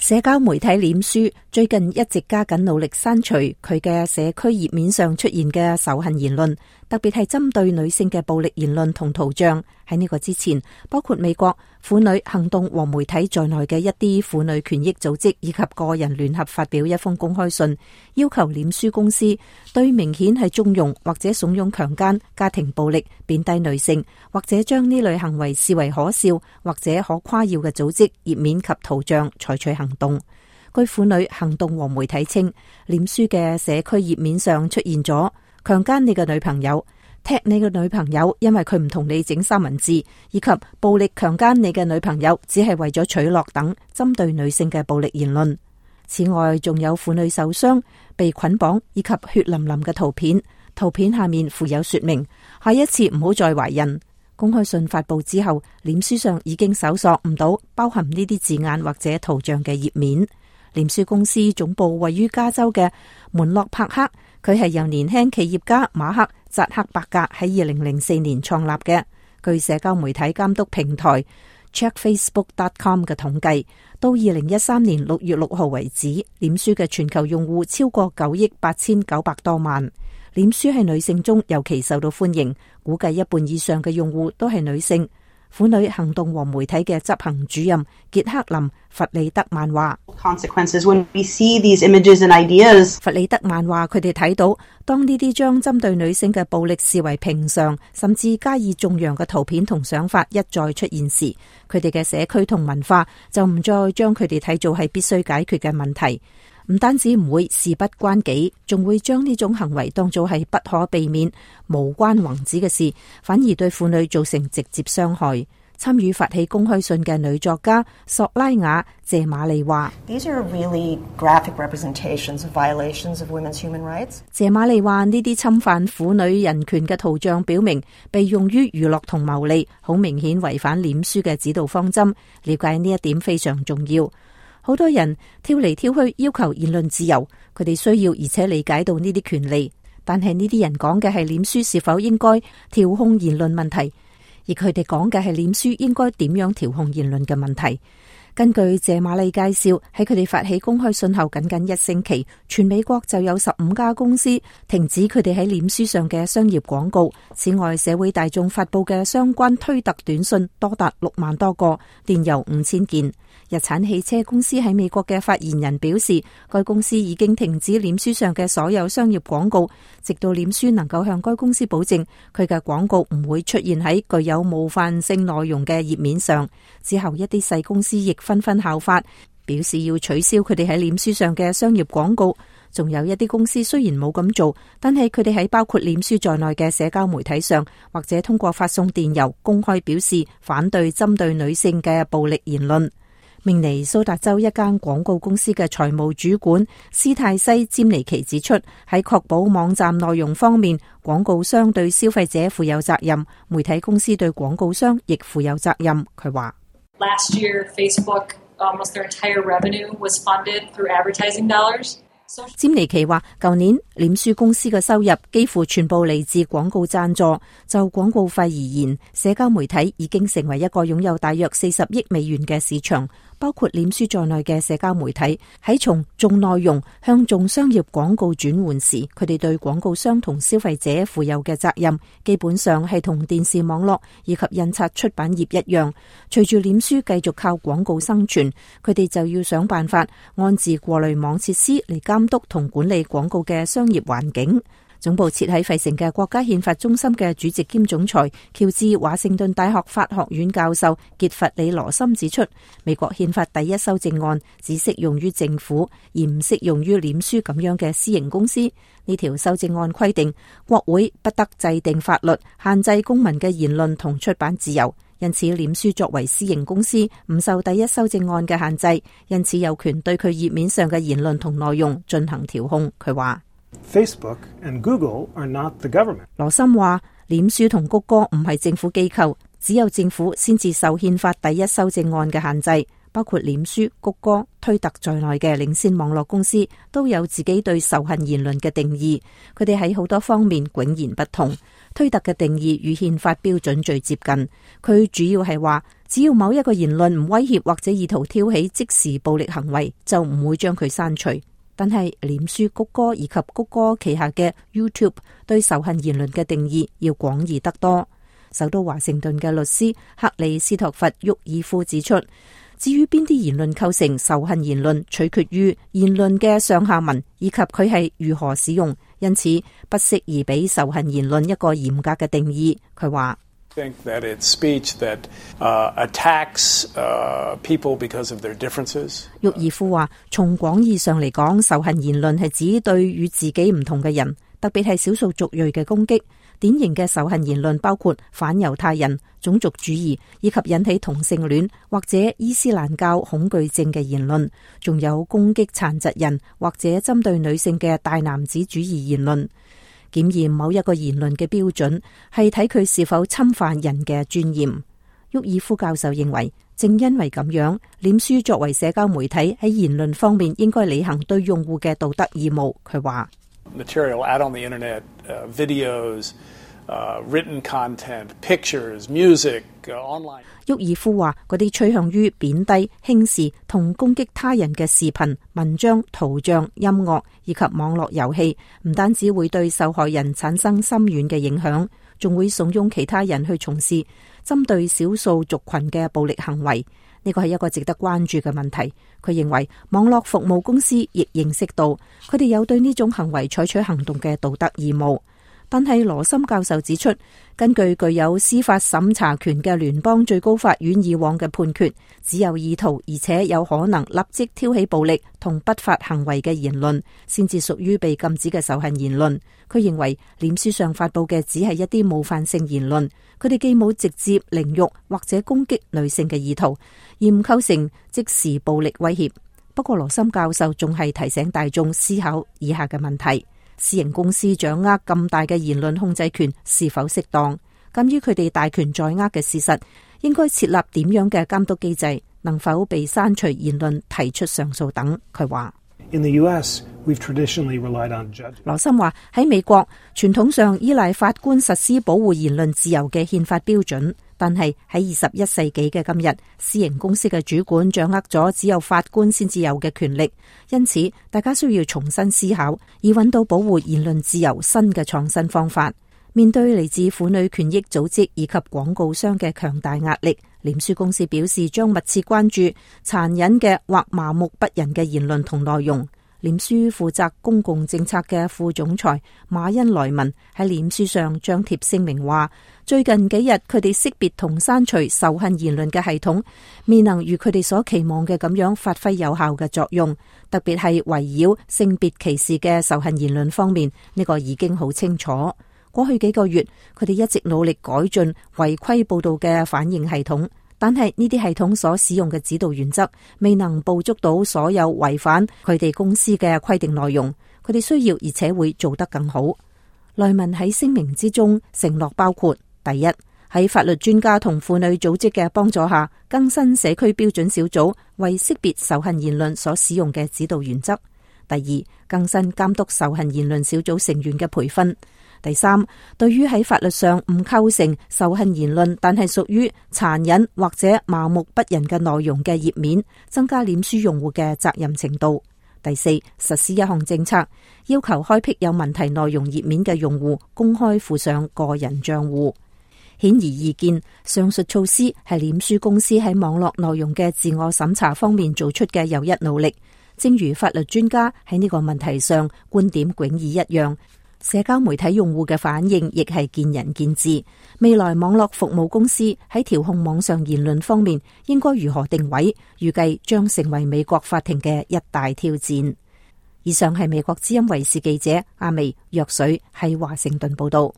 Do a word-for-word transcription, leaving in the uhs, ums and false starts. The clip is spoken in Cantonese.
社交媒體臉書最近一直加緊努力刪除佢嘅社區頁面上出現嘅仇恨言論，特別係針對女性嘅暴力言論同圖像。喺呢個之前，包括美國婦女行動和媒體在內嘅一啲婦女權益組織以及個人聯合發表一封公開信，要求臉書公司對明顯係縱容或者慫恿強姦、家庭暴力、貶低女性，或者將呢類行為視為可笑或者可誇耀嘅組織頁面及圖像採取行動。據婦女行動和媒體稱，臉書嘅社區頁面上出現咗強姦你嘅女朋友、踢你嘅女朋友因為佢唔同你整三文治，以及暴力強姦你嘅女朋友只係為咗取樂等針對女性嘅暴力言論。此外，仲有婦女受傷、被捆綁以及血淋淋嘅圖片，圖片下面附有說明，下一次唔好再懷孕。公開信發佈之後，臉書上已經搜索唔到包含呢啲字眼或者圖像嘅頁面。臉書公司總部位於加州嘅門諾帕克，佢係由年輕企業家馬克扎克伯格喺二零零四年創立嘅。據社交媒體監督平台 check facebook dot com 嘅統計，到二零一三年六月六號為止，臉書嘅全球用戶超過九億八千九百多萬。臉書喺女性中尤其受到歡迎，估計一半以上嘅用戶都係女性。婦女行動和媒體嘅執行主任傑克林弗里德曼話：弗里德曼話佢哋睇到，當呢啲將針對女性嘅暴力視為平常，甚至加以縱容嘅圖片同想法一再出現時，佢哋嘅社區同文化就唔再將佢哋睇做係必須解決嘅問題。唔單止唔會事不關己，仲會將呢種行為當作係不可避免、無關宏旨嘅事，反而對婦女造成直接傷害。參與發起公開信嘅女作家索拉雅謝瑪麗話：謝瑪麗話呢啲侵犯婦女人權嘅圖像表明被用於娛樂同牟利，好明顯違反臉書嘅指導方針。了解呢一點非常重要。好多人挑嚟挑去要求言論自由，佢哋需要而且理解到呢啲權利，但係呢啲人講嘅係臉書是否應該調控言論問題，而佢哋講嘅係臉書應該點樣調控言論嘅問題。根據謝瑪麗介紹，喺佢哋發起公開信後僅僅一星期，全美國就有十五家公司停止佢哋喺臉書上嘅商業廣告。此外，社會大眾發佈嘅相關推特短信多達六萬多個，電郵五千件。日產汽車公司喺美國嘅發言人表示，該公司已經停止臉書上嘅所有商業廣告，直到臉書能夠向該公司保證佢嘅廣告唔會出現喺具有冒犯性內容嘅頁面上。之後，一啲細公司亦紛紛效法，表示要取消佢哋喺臉書上嘅商業廣告。仲有一啲公司雖然冇咁做，但係佢哋喺包括臉書在內嘅社交媒體上，或者通過發送電郵公開表示反對針對女性嘅暴力言論。明尼蘇達州一間廣告公司嘅財務主管斯泰西詹尼奇指出，喺確保網站內容方面，廣告商對消費者負有責任，媒體公司對廣告商亦負有責任。佢話：Last year, Facebook almost their entire revenue was funded through advertising dollars. 詹尼奇話，舊年臉書公司嘅收入幾乎全部嚟自廣告贊助。就廣告費而言，社交媒體已經成為一個擁有大約四十億美元嘅市場。包括臉書在內嘅社交媒體喺從重內容向重商業廣告轉換時，佢哋對廣告商同消費者負有嘅責任，基本上係同電視網絡以及印刷出版業一樣。隨住臉書繼續靠廣告生存，佢哋就要想辦法安置過濾網設施嚟監督同管理廣告嘅商業環境。總部設喺費城嘅國家憲法中心嘅主席兼總裁喬治華盛頓大學法學院教授傑弗里羅森指出，美國憲法第一修正案只適用於政府，而唔適用於臉書咁樣嘅私營公司。呢條修正案規定，國會不得制定法律限制公民嘅言論同出版自由，因此臉書作為私營公司唔受第一修正案嘅限制，因此有權對佢頁面上嘅言論同內容進行調控。佢話Facebook and Google are not the government. 羅森話，臉書同谷歌唔係政府機構，只有政府先至受憲法第一修正案嘅限制。包括臉書、谷歌、推特在內嘅領先網絡公司都有自己對仇恨言論嘅定義，佢哋喺好多方面迥然不同。推特嘅定義與憲法標準最接近，佢主要係話只要某一個言論唔威脅或者意圖挑起即時暴力行為，就唔會將佢刪除。但係臉書、谷歌以及谷歌旗下嘅 YouTube 對仇恨言論嘅定義要廣義得多。首都華盛頓嘅律師克里斯托弗沃爾夫指出，至於邊啲言論構成仇恨言論，取決於言論嘅上下文以及佢係如何使用，因此不適宜俾仇恨言論一個嚴格嘅定義。佢話think that it's speech that uh, attacks uh, people because of their differences. 沃爾夫話，從廣義上嚟講，仇恨言論係指對與自己唔同嘅人，特別係少數族裔嘅攻擊。典型嘅仇恨言論包括反猶太人、種族主義以及引起同性戀或者伊斯蘭教恐懼症嘅言論，仲有攻擊殘疾人或者針對女性嘅大男子主義言論。檢驗某一個言論嘅標準係睇佢是否侵犯人嘅尊嚴。沃爾夫教授認為，正因為咁樣，臉書作為社交媒體喺言論方面應該履行對用戶嘅道德義務。佢話：Material out on the internet, uh, videos, uh, written content, pictures, music, uh, online。沃爾夫話：嗰啲趨向於貶低、輕視同攻擊他人嘅視頻、文章、圖像、音樂以及網絡遊戲，唔單止會對受害人產生深遠嘅影響，仲會慫恿其他人去從事針對少數族群嘅暴力行為。呢個係一個值得關注嘅問題。佢認為網絡服務公司亦認識到佢哋有對呢種行為採取行動嘅道德義務。但係羅森教授指出，根據具有司法審查權嘅聯邦最高法院以往嘅判決，只有意圖而且有可能立即挑起暴力同不法行為嘅言論，先至屬於被禁止嘅仇恨言論。佢認為臉書上發佈嘅只係一啲冒犯性言論，佢哋既冇直接凌辱或者攻擊女性嘅意圖，而唔構成即時暴力威脅。不過羅森教授仲係提醒大眾思考以下嘅問題：私營公司掌握咁大嘅言論控制權是否適當？鑒於佢哋大權在握嘅事實，應該設立點樣嘅監督機制？能否被刪除言論提出上訴等？佢話：In the U S, we've traditionally relied on judges. 羅森話喺美國傳統上依賴法官實施保護言論自由嘅憲法標準，但係喺二十一世紀嘅今日，私營公司嘅主管掌握咗只有法官先至有嘅權力，因此大家需要重新思考，以揾到保護言論自由新嘅創新方法。面對嚟自婦女權益組織以及廣告商嘅強大壓力，臉書公司表示將密切關注殘忍嘅或麻木不仁嘅言論同內容。臉書負責公共政策嘅副總裁馬恩萊文喺臉書上張貼聲明話，最近幾日佢哋識別同刪除仇恨言論嘅系統未能如佢哋所期望嘅咁樣發揮有效嘅作用，特別係圍繞性別歧視嘅仇恨言論方面，呢個已經好清楚。過去幾個月，佢哋一直努力改進違規報道嘅反應系統，但係呢啲系統所使用嘅指導原則未能捕捉到所有違反佢哋公司嘅規定內容。佢哋需要而且會做得更好。萊文喺聲明之中承諾包括：第一，喺法律專家同婦女組織嘅幫助下，更新社區標準小組為識別仇恨言論所使用嘅指導原則；第二，更新監督仇恨言論小組成員嘅培訓。第三，對於喺法律上唔構成仇恨言論，但係屬於殘忍或者麻木不仁嘅內容嘅頁面，增加臉書用戶嘅責任程度。第四，實施一項政策，要求開闢有問題內容頁面嘅用戶公開附上個人賬戶。顯而易見，上述措施係臉書公司喺網絡內容嘅自我審查方面做出嘅又一努力。正如法律專家喺呢個問題上觀點迥異一樣，社交媒體用戶嘅反應亦係見仁見智。未來網絡服務公司喺調控網上言論方面應該如何定位，預計將成為美國法庭嘅一大挑戰。以上係美國之音衛視記者阿薇若水喺華盛頓報道。